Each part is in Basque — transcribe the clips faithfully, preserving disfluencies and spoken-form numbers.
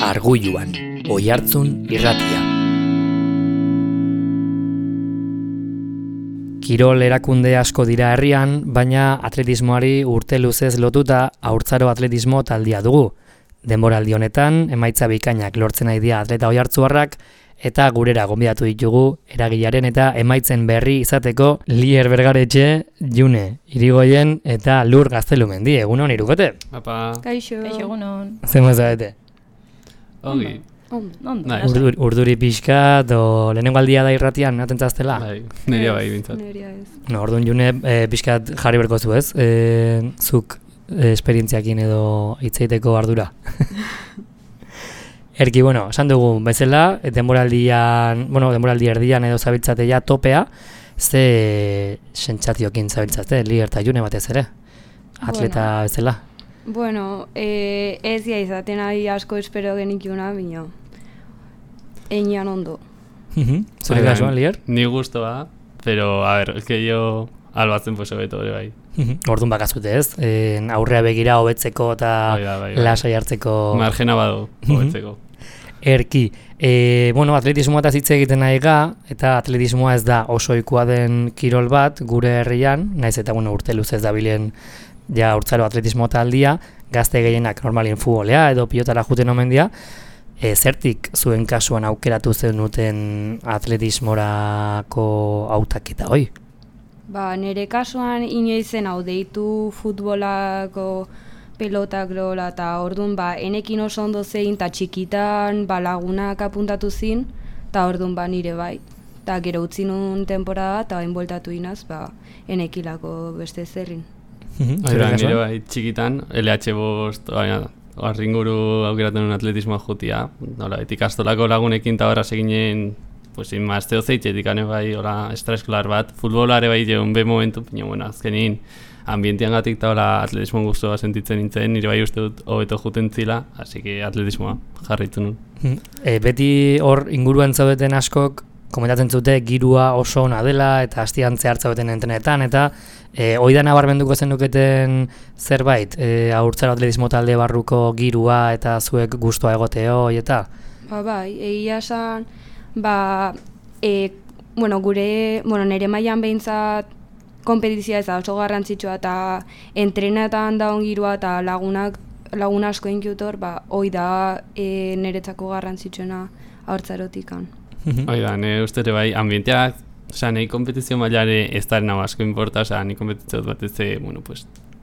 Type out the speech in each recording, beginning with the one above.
Argulluan, Oihartzun irratia. Kirol erakunde asko dira herrian, baina atletismoari urte luzez lotuta haurtzaro atletismo taldia dugu. Denboraldi honetan, emaitza bikainak lortzen nahi dira atleta oihartzuarrak, eta gurera gonbidatu ditugu eragilaren eta emaitzen berri izateko Lier Bergaretxe, June Irigoyen eta Lur Gaztelumendi. Egunon, Irukote? Apa. Kaixo. Kaixo, egunon. Zer mazabete? Ongi. Ondo. Urduri, urduri pixka, do lehenengo aldia da irratian, atentzaztela? Bai, neria bai bintzat. Neria ez. No, orduan June e, pixkat jarri berko zu ez? E, zuk e, esperientziakin edo hitzeiteko ardura. Erki, bueno, esan dugu bezala, denboraldian, bueno, denboraldi erdian edo zabiltzatea topea, ze sentsazioekin zabiltzate, Lier eta June batez ere, atleta bueno. bezala. Bueno, eh, ez ja izaten ari asko espero genikuna, bino, einian ondo. Zure kasuan, Lier? Ni gustoa, pero, a ver, es que yo albatzen pues hobeto ere bai. Orduan bakazute ez, e, aurrea begira hobetzeko eta bai, bai, bai. lasai hartzeko... Margena badu hobetzeko. Erki, e, bueno, atletismoa eta hitz egiten nahi ga, eta atletismoa ez da oso ohikoa den kirol bat gure herrian, naiz eta bueno, urte luzez dabilen ja urtzaro atletismo taldia, gazte gehienak normalin futbolea edo pilotara juten omen dira. E, zertik zuen kasuan aukeratu zenuten atletismorako hautaketa hoi? Ba, nire kasuan inoizen hau deitu futbolako pelotak lola eta orduan ba, enekin oso ondo zein eta txikitan ba, lagunak apuntatu zin eta orduan ba, nire bai. Eta gero utzi nun temporada eta hain bueltatu inaz, ba, enekilako beste zerrin. Oira, nire bai txikitan, L H bost, arringuru aukeratzen un atletismoa jutia, nola, ikastolako lagunekin eta horra seginen pues inmazteo zeitxetik ane bai, hola, estraeskolar bat, futbolare bai jeun be momentu, baina, bueno, azkenin, ambientian gatik eta hola atletismoan guztua sentitzen nintzen, nire bai uste dut hobeto juten zila, así que atletismoa jarraitu nun. E, beti hor inguruan zaudeten askok, komentatzen zute girua oso ona dela, eta hastian zehar zaudeten entrenetan, eta e, oida nabarmenduko zenuketen zerbait, e, haurtzaro atletismo talde barruko girua eta zuek gustua egoteo, eta? Ba, bai, egia esan, ba, e, bueno, gure, bueno, nire mailan behintzat kompetizioa ez da oso garrantzitsua eta entrenetan da ongirua eta lagunak, lagun asko inkiutor, ba, hoi da e, niretzako garrantzitsuena haurtzarotikan. Hoi da, nire uste ere bai, ambienteak, osea, nahi kompetizio mailare ez da nahi asko importa, osea, nahi kompetizio bat ez de, bueno, pues,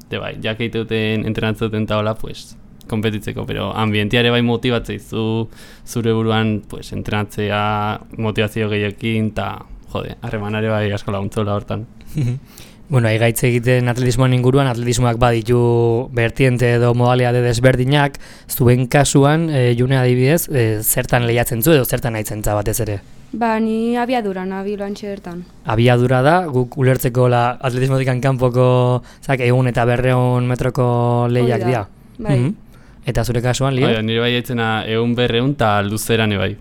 de bai, jakeiteuten entrenatzen eta hola, pues, kompetitzeko, pero ambienteare bai motibatzei zu zure buruan, pues, entrenatzea motivazio gehiekin, eta, jode, harremanare bai asko laguntzola hortan. Bueno, aigaitz egiten atletismoan inguruan, atletismoak baditu bertiente edo modalitate desberdinak, zuen kasuan, e, June adibidez, e, zertan lehiatzen zu edo zertan nahitzen za batez ere? Ba, ni abiadura nabi lantxe bertan. Abiadura da, guk ulertzeko la atletismotikan kanpoko zak, egun eta berreun metroko lehiak dira. Bai. Mm-hmm. Eta zure kasuan, Lier? Oida, nire bai haitzena egun berreun eta luzeran ebai.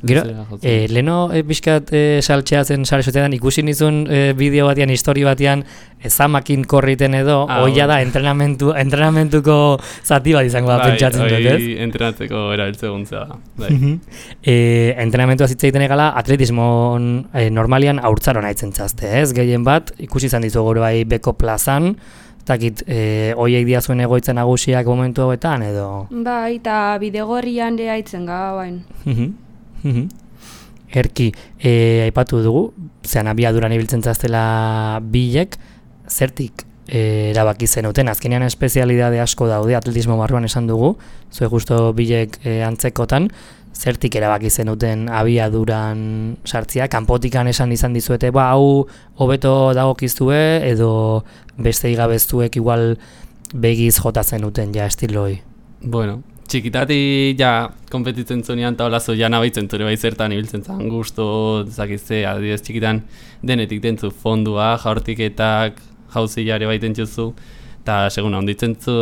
Gero, e, leheno e, pixkat e, saltxea zen sare sozialetan ikusi nizun e, bideo batean, histori batean, e, zamakin korriten edo, ah, oia da entrenamentu, entrenamentuko zati bat izango da bai, pentsatzen dut, ez? Bai, entrenatzeko erabiltzeguntzea da. Bai. e, entrenamentua zitza egiten egala, atletismon e, normalian haurtzaron haitzen txazte, ez? Gehien bat, ikusi izan dizu gore bai beko plazan, takit, e, oiek dia zuen egoitza nagusiak momentu hauetan, edo? Bai, eta bidegorrian ere haitzen ga, bain. Erki, e, aipatu dugu, zean abiaduran ibiltzen zaztela bilek, zertik e, erabaki zenuten, azkenean espezialidade asko daude atletismo barruan esan dugu, zue justo bilek e, antzekotan, zertik erabaki zenuten abiaduran sartzia, kanpotikan esan izan dizuete, ba, hau hobeto dagokizue, edo beste igabeztuek igual begiz jota zenuten ja estiloi? Bueno, txikitati ja konpetitzen zunean eta holazo ja nabaitzen zure bai zertan ibiltzen zan gusto, zakizte, adibidez txikitan denetik dentzu fondua, jaurtiketak, jauzilare baiten txuzu, eta seguna onditzen zu,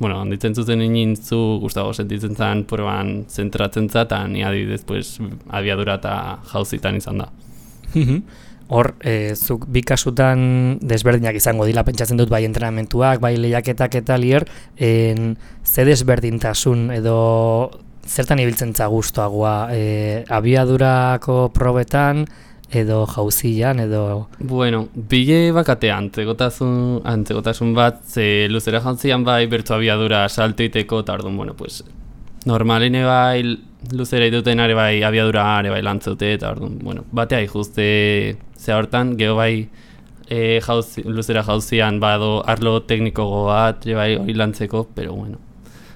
bueno, onditzen zuzen inin zu gustago sentitzen zan proban zentratzen za, eta ni adibidez pues, abiadura eta jauzitan izan da. Hor, e, zuk bi kasutan desberdinak izango dila, pentsatzen dut bai entrenamentuak, bai lehiaketak eta Lier, en, ze desberdintasun edo zertan ibiltzen za gustoagoa, e, abiadurako probetan, edo jauzian, edo... Bueno, bile bakate antzegotasun, antzegotasun bat, ze luzera jauzian bai bertzu abiadura salto iteko, eta orduan, bueno, pues, normaline bai luzera ituten are bai abiadura are bai lantzeute, eta orduan, bueno, batea ikuste ze hortan, geho bai e, jauzi, luzera jauzian bado arlo tekniko bat, bai hori lantzeko, pero bueno,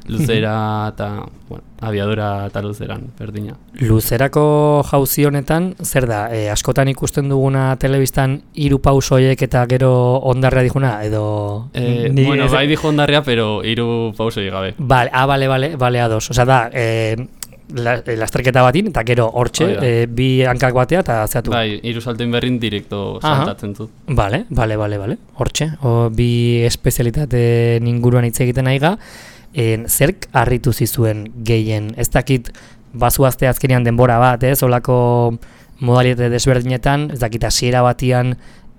luzera eta, bueno, abiadura eta luzeran, berdina. Luzerako jauzi honetan, zer da, e, askotan ikusten duguna telebistan hiru pausoiek eta gero ondarrea dijuna, edo... Eh, bueno, bai dijo ondarrea, pero hiru pausoiek gabe. Vale, ah, vale, vale, vale, ados. Osa da, e, la, lasterketa batin, eta gero hortxe, e, bi hankak batea eta zeatu. Bai, hiru saltoin berrin direkto saltatzen dut. Vale, vale, vale, vale, hortxe. O, bi espezialitate inguruan hitz egiten aiga. En, zerk harritu zizuen gehien, ez dakit bazuazte azkenean denbora bat, ez, olako modalitate desberdinetan, ez dakit hasiera batian,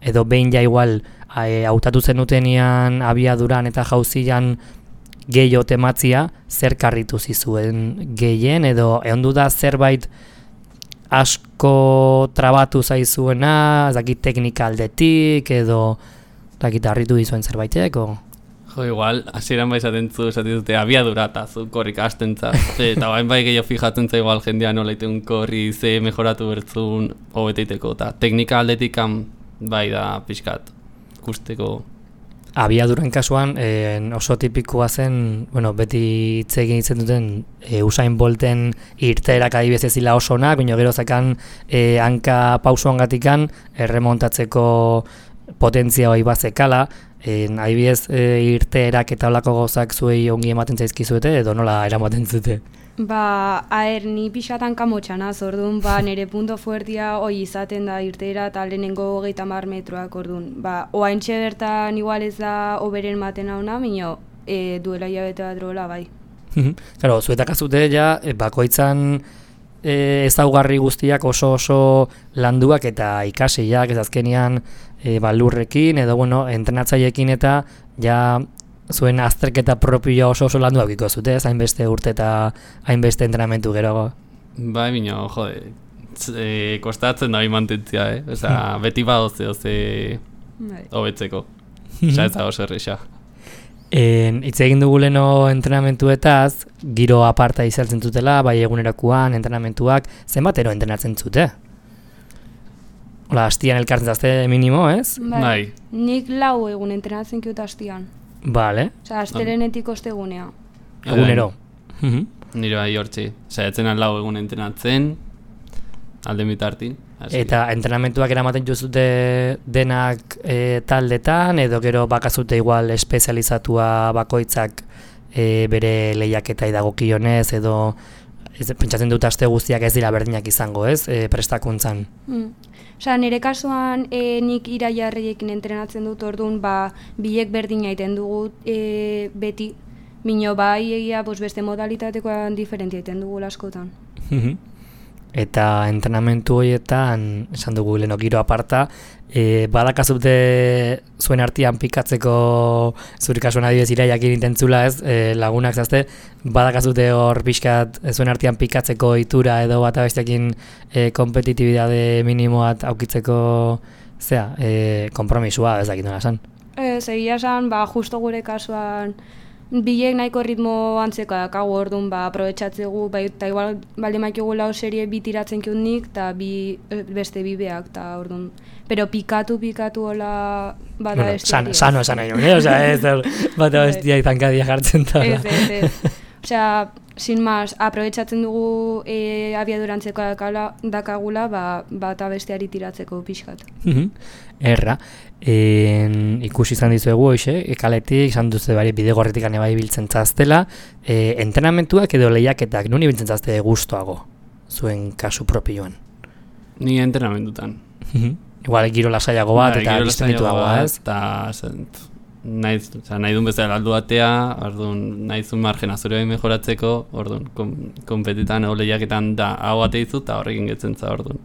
edo behin ja igual hautatu zenutenian abiaduran eta jauzian gehiago tematzia, zerk harritu zizuen gehien, edo ehondu da zerbait asko trabatu zaizuena, ez dakit teknika aldetik, edo ez dakit harritu dizuen zerbaitek, o... Jo, igual, hasieran bai esaten zu, esaten dute abiadura eta zu korrik astentza. Eta bain bai gehiago fijatzen za igual jendea nola iteun korri, ze mejoratu bertzun hobeteiteko. Eta teknika aldetik bai da pixkat, ikusteko. Abiaduran kasuan eh, oso tipikoa zen, bueno, beti hitz egin itzen duten e, Usain Bolten irteerak adibidez ezila oso onak, baina gero zakan e, hanka pausoangatikan erremontatzeko potentzia hori bazekala. En, adibidez, e, irteerak eta olako gauzak zuei ongi ematen zaizkizuete, edo nola eramaten zute? Ba, aher, ni pixatan kamotxanaz, orduan, ba, nire punto fuertia hoi izaten da irteera eta lehenengo hogeita hamar metroak, orduan. Ba, oaintxe bertan igual ez da oberen maten hauna, minio, e, duela hilabete bat drola, bai. Claro, zuetak azute ja, bakoitzan e, ezaugarri guztiak oso oso landuak eta ikasiak, ez azkenean e, balurrekin, edo bueno, entrenatzaiekin eta ja zuen azterketa propioa oso oso landuak iko zute, ez hainbeste urte eta hainbeste entrenamentu gero. Bai, bino, jode, e, kostatzen da mantentzia, eh? Osa, beti badoze, oze, hobetzeko. Osa, ez da oso erresa. Hitz egin dugu leno entrenamentuetaz, giro aparta izaltzen zutela, bai egunerakoan, entrenamentuak, zenbatero entrenatzen zute? Hola, hastian elkartzen zazte minimo, ez? Bai. bai. Nik lau egun entrenatzen kiut hastian. Vale. Osa, astelenetik ostegunea. Egunero. Nire bai hortzi. Zaiatzen lau egun entrenatzen, alde mitartin. Eta entrenamentuak eramaten juzute denak e, taldetan, edo gero bakazute igual espezializatua bakoitzak e, bere lehiaketa idagokionez, edo ez, pentsatzen dut aste guztiak ez dira berdinak izango, ez, e, prestakuntzan. Mm. Osa, nire kasuan e, nik iraiarriekin entrenatzen dut, orduan, ba, bilek berdina egiten dugu e, beti, mino bai egia bos, beste modalitatekoan diferentia egiten dugu askotan. Eta entrenamentu horietan, esan dugu leheno giro aparta, e, badakazute zuen artean pikatzeko, zure kasuan adibidez iraiak irintentzula ez, e, lagunak zazte, badakazute hor pixkat zuen artean pikatzeko itura edo bat abestekin e, kompetitibidade minimoat aukitzeko, zera, e, kompromisua ez dakit nola esan. Ez, egia esan, ba, justo gure kasuan, bilek nahiko ritmo antzeko dakagu, orduan, ba, aprobetxatzegu, ba, eta igual balde maikiogu lau serie bi tiratzen kiut nik, eta bi, beste bi beak, eta orduan. Pero pikatu, pikatu hola bata bueno, bestiari. San, sano esan nahi nuen, eh? Osa, ez, bata bestiak tankadia jartzen da. Ez, ez, ez. Osea, sin más, aprobetxatzen dugu e, abiadurantzeko dakala, dakagula, ba, bata besteari tiratzeko pixkat. Erra, en, ikusi izan dizuegu, hoxe, kaletik, izan duzu bari bidegorretik ane bai biltzen zaztela, e, entrenamentuak edo lehiaketak, nuni biltzen zazte gustoago, zuen kasu propioan? Ni entrenamentutan. Igual giro lasaiago bat, eta distenituagoa, ez? Eta nahi, nahi duen bezala aldu batea, orduan nahi zuen margena zure behin mejoratzeko, orduan kom, kompetitan o lehiaketan da hau bate dizu, eta horrekin getzen za orduan.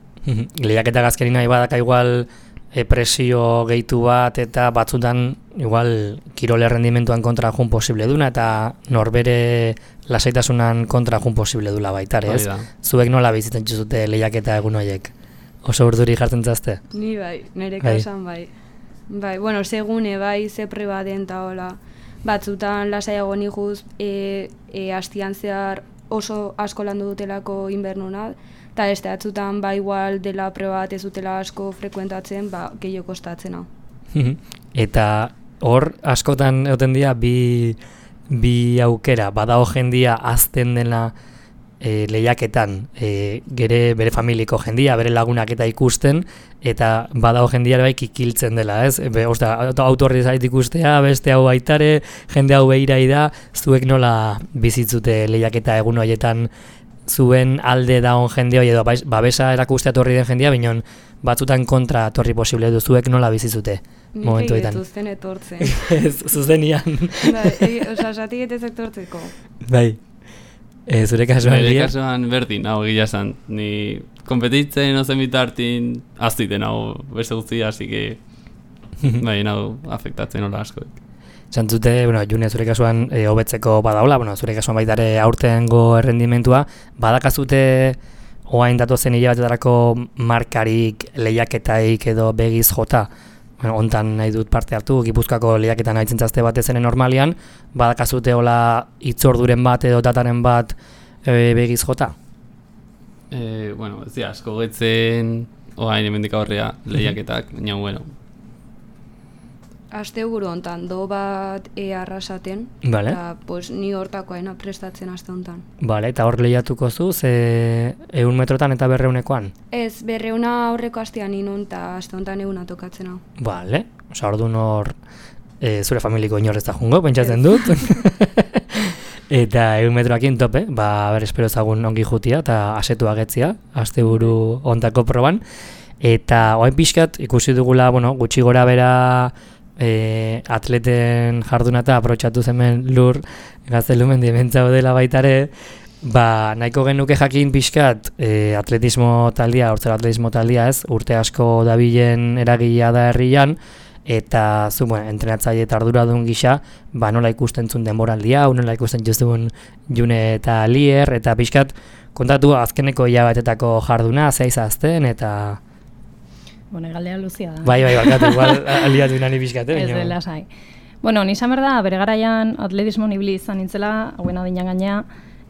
Lehiaketak azkenin nahi badaka igual e, presio gehitu bat eta batzutan igual kirol errendimentuan kontra jun posible duna eta norbere lasaitasunan kontra jun posible dula baitare, ez? Zuek nola bizitzen zute lehiaketa egun horiek? Oso urduri jartzen zazte? Ni bai, nire kasan bai. Bai, bueno, segune bai, ze preba den eta hola. Batzutan lasaiago nijuz, e, e, astian zehar oso asko landu dutelako inbernuna, eta ez batzutan ba igual dela preba bat ez dutela asko frekuentatzen, ba, gehiago kostatzen hau. Eta hor askotan egoten dira bi, bi aukera, badago jendia azten dela e, lehiaketan e, gere bere familiko jendia, bere lagunak eta ikusten, eta badago jendia bai kikiltzen dela, ez? Be, ostia, autorri zait ikustea, beste hau baitare, jende hau behirai da, zuek nola bizitzute lehiaketa egun horietan zuen alde daon jende hori edo babesa erakustea torri den jendia, binon batzutan kontra torri posible du, zuek nola bizitzute momentuetan. Nik egin etortzen. Ez, zuzenian. Bai, oza, zati getez etortzeko. Bai. E, zure kasuan, Zure kasuan berdin, hau gila esan. Ni kompetitzen ozen bitartin aztiten hau beste guztia, así que bai, hau afektatzen hola asko. Zantzute, bueno, June, zure kasuan e, hobetzeko badaula, bueno, zure kasuan baitare aurtengo errendimentua, badakazute oain datozen hilabetetarako markarik, lehiaketaik edo begiz jota, bueno, ontan nahi dut parte hartu, Gipuzkoako lehiaketan haitzen zazte bat ezenen normalian, badakazute hola itzorduren bat edo dataren bat e, begiz jota? E, bueno, ez dira, asko getzen oain hemendik aurrea lehiaketak, baina, bueno, aste buru hontan do bat e arrasaten, vale. Eta pues, ni hortakoaena prestatzen aste hontan. Vale, eta hor lehiatuko zu, ze ehun metrotan eta berreunekoan? Ez, berreuna aurreko astean inun, eta aste hontan eguna tokatzen hau. Vale, oza, orduan hor e, zure familiko inorrez da jungo, pentsatzen dut. Eta ehun metroakin tope, ba, ber, espero ezagun ongi jutia eta asetu agetzia, aste buru ontako proban. Eta oain pixkat, ikusi dugula, bueno, gutxi gora bera E, atleten jarduna eta aprotxatu zemen lur gaztelumen dimentza dela baitare, ba, nahiko genuke jakin pixkat e, atletismo taldia, hortzera atletismo taldia ez, urte asko dabilen eragilea da herrian, eta zu, bueno, entrenatzaile eta arduradun gisa, ba, nola ikusten zuen denboraldia, nola ikusten juztun June eta Lier, eta pixkat kontatu azkeneko hilabetetako jarduna, zeiz azten, eta Bueno, galdea luzia da. Bai, bai, bakatu, igual aliatu inani pixkate. Ez dela sai. Bueno, nizan berda, bere garaian atletismo nibili izan nintzela, hauen adinan gaina,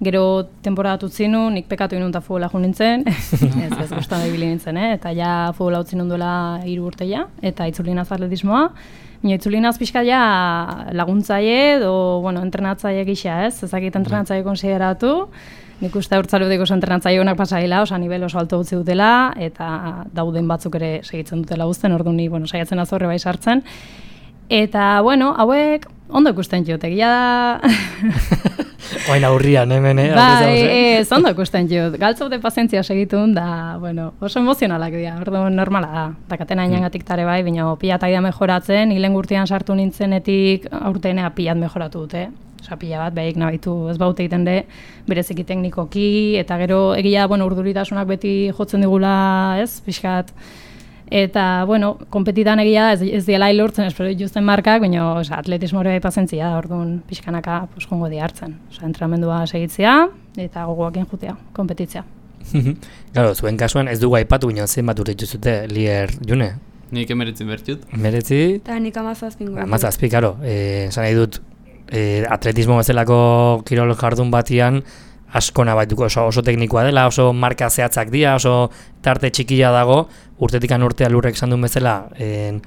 gero temporada tutzinu, nik pekatu inun eta futbola jo nintzen, ez ez gustan ibili nintzen, eh? Eta ja futbola utzi nunduela hiru urte ja, eta itzulinaz atletismoa. Mino itzulinaz pixka ja laguntzaile edo, bueno, entrenatzaile gisa, ez? Ezakit entrenatzaile konsideratu. Nik uste urtzaludeko oso entrenatzaile honak pasaila, osa nivel oso alto utzi dutela, eta dauden batzuk ere segitzen dutela guzten, ordu ni, bueno, saiatzen azorre bai sartzen. Eta, bueno, hauek ondo ikusten jut, egia da... Oain aurrian, hemen, eh? Bai, ez, ondo ikusten jut. Galtzaute pazientzia segitun, da, bueno, oso emozionalak dira, ordu normala da. Dakatena inangatik tare bai, baina pilat aida mejoratzen, hilen gurtian sartu nintzenetik aurtenea pilat mejoratu dute. Osa, pila bat, behik nabaitu ez baute egiten de, bereziki teknikoki, eta gero egia, bueno, urduritasunak beti jotzen digula, ez, pixkat. Eta, bueno, konpetitan egia ez, ez diela hilurtzen, espero dituzten markak, baina oza, atletismo hori pazentzia, orduan pixkanaka pues, jongo di hartzen. Osa, entrenamendua segitzea, eta gogoakin jutea, konpetitzea. Claro, zuen kasuan ez dugu aipatu, baina zen bat urte zute, Lier, June? Nik emeretzi bertut. Emeretzi? Eta nik amazazpingo. Amazazpi, karo, eh, esan nahi dut, E, atletismo bezalako kirol jardun batian asko nabaituko oso, oso teknikoa dela, oso marka zehatzak dira, oso tarte txikia dago, urtetikan urtea lurrek esan duen bezala e,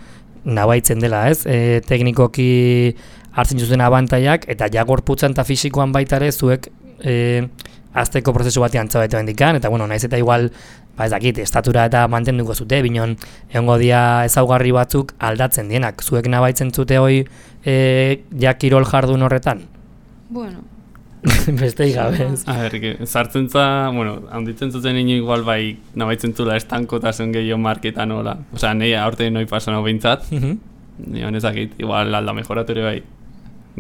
nabaitzen dela, ez? E, teknikoki hartzen zuzen abantaiak, eta ja gorputzan eta fisikoan baita ere zuek e, azteko prozesu batean txabete bendikan, eta bueno, naiz eta igual ba ez dakit, estatura eta mantenduko zute, binon egongo dia ezaugarri batzuk aldatzen dienak. Zuek nabaitzen zute hoi e, ja kirol jardun horretan? Bueno. Beste igabe. A ber, sartzen za, bueno, handitzen zuten ino igual bai nabaitzen zula estankotasun gehiago marketan hola. Osea, nahi aurte noi pasan hau behintzat, nion ezakit, igual alda mejoratu ere bai,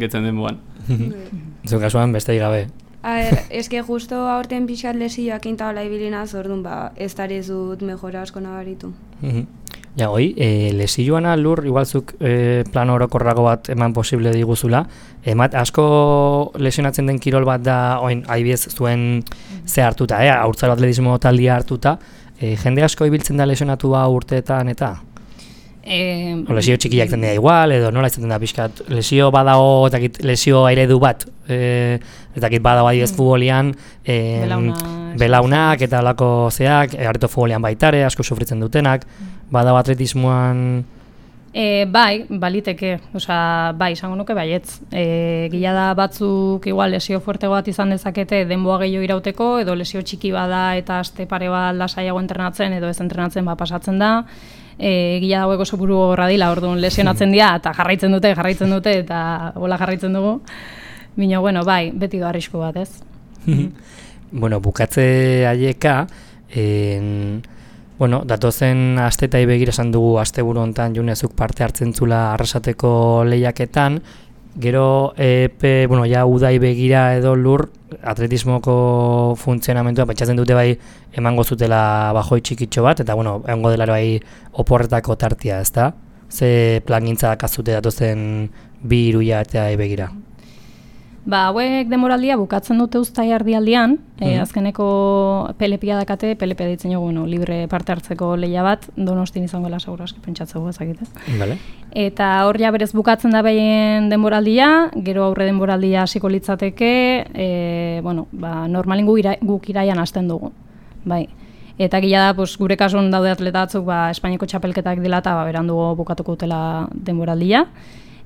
getzen den buan. Zuen kasuan beste igabe. A ber, eske justo aurten pixat lesioak intabala ibilinaz, orduan ba, ez dut mejora asko nabaritu. Ja, hoi, e, lesioana lur, igualzuk e, plan orokorrago bat eman posible diguzula. Emat, asko lesionatzen den kirol bat da, oin, adibidez zuen ze hartuta, eh? Haurtzaro atletismo taldia hartuta. E, jende asko ibiltzen da lesionatua urteetan eta? E, o lesio txikiak den da igual, edo nola izaten da pixkat, lesio badago, etakit, lesio eredu bat, e, etakit badago adibidez mm. futbolian, e, Belauna, belaunak eta alako zeak, e, areto futbolian baitare, asko sufritzen dutenak, badago atletismoan... E, bai, baliteke, osea, bai, izango nuke baietz. E, gila da batzuk igual lesio fuerte bat izan dezakete denboa gehiago irauteko, edo lesio txiki bada eta aste pare bat lasaiago entrenatzen, edo ez entrenatzen ba pasatzen da. E, gila dagoeko oso buru gorra dila, orduan lesionatzen dira, eta jarraitzen dute, jarraitzen dute, eta hola jarraitzen dugu. Bino, bueno, bai, beti do arrisku bat, ez? Bueno, bukatze haieka, en... Bueno, datozen astetai begira esan dugu asteburu hontan Junezuk parte hartzen zula arrasateko lehiaketan, gero epe, bueno, ja udai begira edo lur atletismoko funtzionamentua pentsatzen dute bai emango zutela bajoi txikitxo bat, eta bueno, egongo dela bai oporretako tartia, ezta? Ze plangintza dakazute datozen bi hiruia eta begira? Ba, hauek demoraldia bukatzen dute uztai ardialdian, mm-hmm. e, azkeneko P L P-a dakate, P L P ditzen jogu, bueno, libre parte hartzeko lehia bat, Donostin izango dela segurazki pentsatzeko ezakite. Vale. Eta hor ja berez bukatzen da behien denboraldia, gero aurre denboraldia hasiko litzateke, e, bueno, ba, normalin gu ira, guk iraian hasten dugu. Bai. Eta gila da, pues, gure kasuan daude atleta batzuk, ba, Espainiako txapelketak dela eta ba, berandugo bukatuko dutela denboraldia.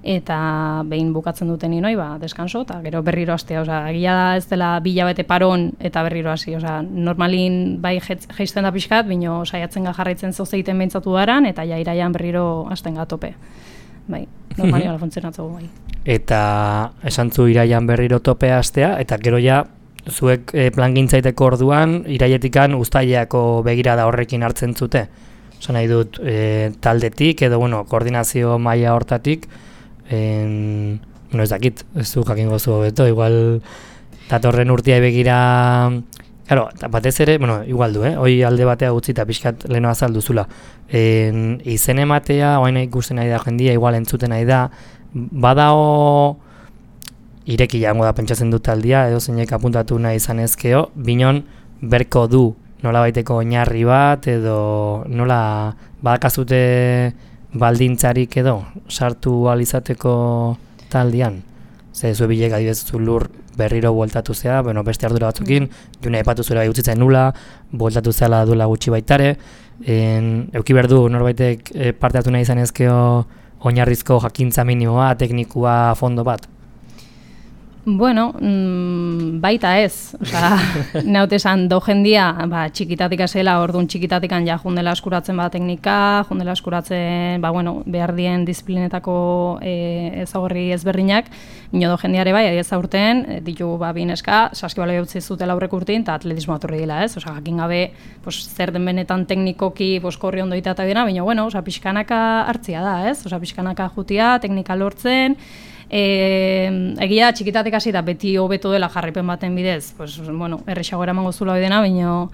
Eta behin bukatzen duten inoi, ba, deskanso, eta gero berriro hastea, osea, egia da ez dela bila bete paron eta berriro hasi, osea, normalin bai jeisten da pixkat, bino saiatzen ga jarraitzen zozeiten behintzatu daran, eta ja iraian berriro hasten ga tope. Bai, normalin hala funtzionatzeko bai. Eta esan zu iraian berriro tope hastea, eta gero ja, zuek e, plangintzaiteko orduan, irailetikan uztaileako begirada horrekin hartzen zute. Osa nahi dut, e, taldetik, edo, bueno, koordinazio maila hortatik, En, bueno, ez dakit, ez du jakingo zu hobeto, igual datorren urtea begira, claro, batez ere, bueno, igual du, eh? Hoi alde batea utzi eta pixkat leheno azalduzula. En, izen ematea, oain ikusten nahi da jendia, igual entzuten nahi da, badao ireki jango da pentsatzen dut aldia, edo zeinek apuntatu nahi izan ezkeo, binon berko du nola baiteko oinarri bat, edo nola badakazute baldintzarik edo sartu alizateko taldian. Ze zue bilek adibidez zu lur berriro bueltatu zea, bueno, beste ardura batzukin, mm. june aipatu zuela bai utzitzen nula, bueltatu zeala duela gutxi baitare, en, euki berdu norbaitek e, parte hartu nahi izan ezkeo oinarrizko jakintza minimoa, teknikua, fondo bat? Bueno, mmm, baita ez, osea, naute esan do jendia, ba, txikitatik azela, orduan txikitatikan ja jundela eskuratzen ba teknika, jundela eskuratzen, ba, bueno, behar dien disiplinetako e, ezagorri ezberdinak, ino do jendiare bai, adiez aurten, ditu ba, bineska, saskibalo utzi zutela aurrek urtin, eta atletismo aturri dela, ez? Osea, jakin gabe, pues, zer den benetan teknikoki, pues, korri ondo ita eta dena, baina, bueno, osea, pixkanaka hartzia da, ez? Osea, pixkanaka jutia, teknika lortzen, E, egia txikitatik hasi da beti hobeto dela jarraipen baten bidez, pues, bueno, errexago eramango zula bidena, baina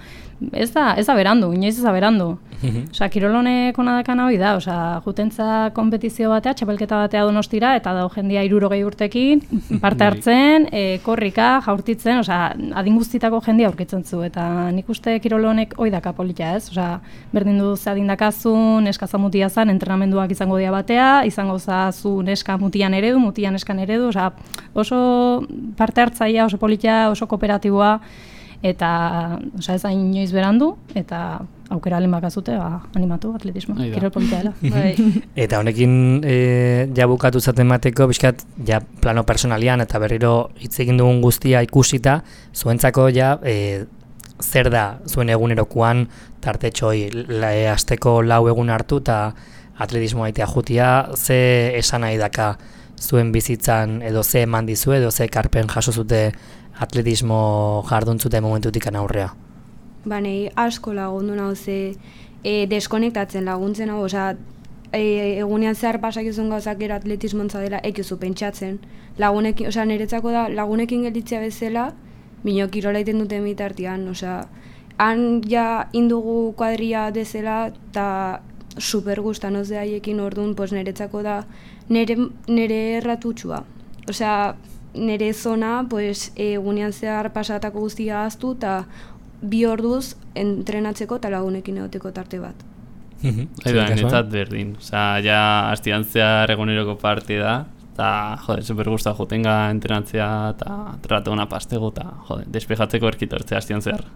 ez da, ez da berandu, inoiz ez da berandu. Osea, kirolonek ona dakana hori da, osea, jutentza konpetizio batea, txapelketa batea Donostira, eta da jendia hirurogei urtekin, parte hartzen, e, korrika, jaurtitzen, osea, adin guztitako jendia aurkitzen zu, eta nik uste kirolonek hori daka polita, ez? Osea, berdin du ze adindakazun, neska mutia zan, entrenamenduak izango dira batea, izango zazu neska mutian eredu, mutian neskan eredu, osea, oso parte hartzaia, oso polita, oso kooperatiboa, eta osea, ez da inoiz berandu, eta aukera alin bakazute, ba, animatu atletismo, kirol polita dela. Bai. Eta honekin e, ja bukatu zaten mateko, bizkat, ja plano personalian eta berriro hitz egin dugun guztia ikusita, zuentzako ja e, zer da zuen egunerokoan tartetxoi e, asteko lau egun hartu eta atletismo aitea jutia, ze esan nahi daka zuen bizitzan edo ze eman dizu edo ze karpen jaso zute atletismo jarduntzute momentutik aurrea? Ba, nahi asko lagundu nahu ze e, deskonektatzen laguntzen hau, osea, e, egunean zehar pasak izun gauzak gero atletismontza dela ekizu pentsatzen. Lagunekin, osea, niretzako da lagunekin gelditzea bezala, bino kirola iten duten bitartian, osea, han ja indugu kuadria dezela, eta super gustan oz haiekin orduan, pues niretzako da nire, nire erratutxua. Osea, nire zona, pues, egunean zehar pasatako guztia aztu, eta bi orduz entrenatzeko eta lagunekin egoteko tarte bat. Haidu da, netzat berdin. Osea, ja, hastian zehar eguneroko parte da, eta, jode, super gusta jotenga entrenatzea, eta trata una pastego, eta, jode, despejatzeko erkitortzea hastian zehar.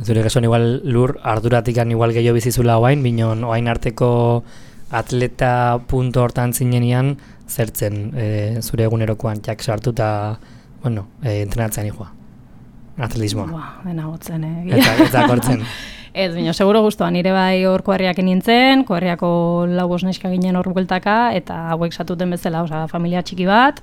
Zure kasuan igual lur arduratikan igual gehiago bizizula oain, binon oain arteko atleta punto hortan zinenian zertzen e, zure egunerokoan jak sartu eta, bueno, e, entrenatzen joa. Atletismoa. Ba, dena gotzen, eh? Eta, eta kortzen. Ez, baina, seguro guztua, nire bai hor koherriak nintzen, koherriako lau bost neska ginen hor bueltaka, eta hauek satuten bezala, osea, familia txiki bat,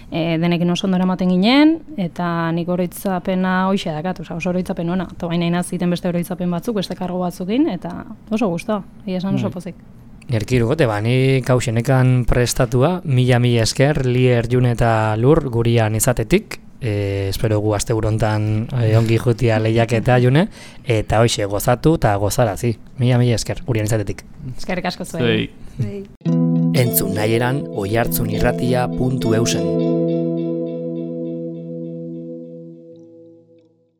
e, denekin oso ondo eramaten ginen, eta nik oroitzapena hoxe dakat, oza, oso oroitzapen ona. Eta baina inaz ziten beste oroitzapen batzuk, beste kargo batzukin, eta oso guztua, egia esan oso pozik. Erkirugote, ba, ni kausenekan prestatua, mila mila esker, Lier, June eta Lur gurian izatetik, e, espero gu aste burontan e, ongi jutia lehiaketa June, eta hoxe gozatu eta gozarazi, mila mila esker gurian izatetik. Eskerrik asko zuen. Zuei. Entzun nahi eran oihartzunirratia puntu eusen.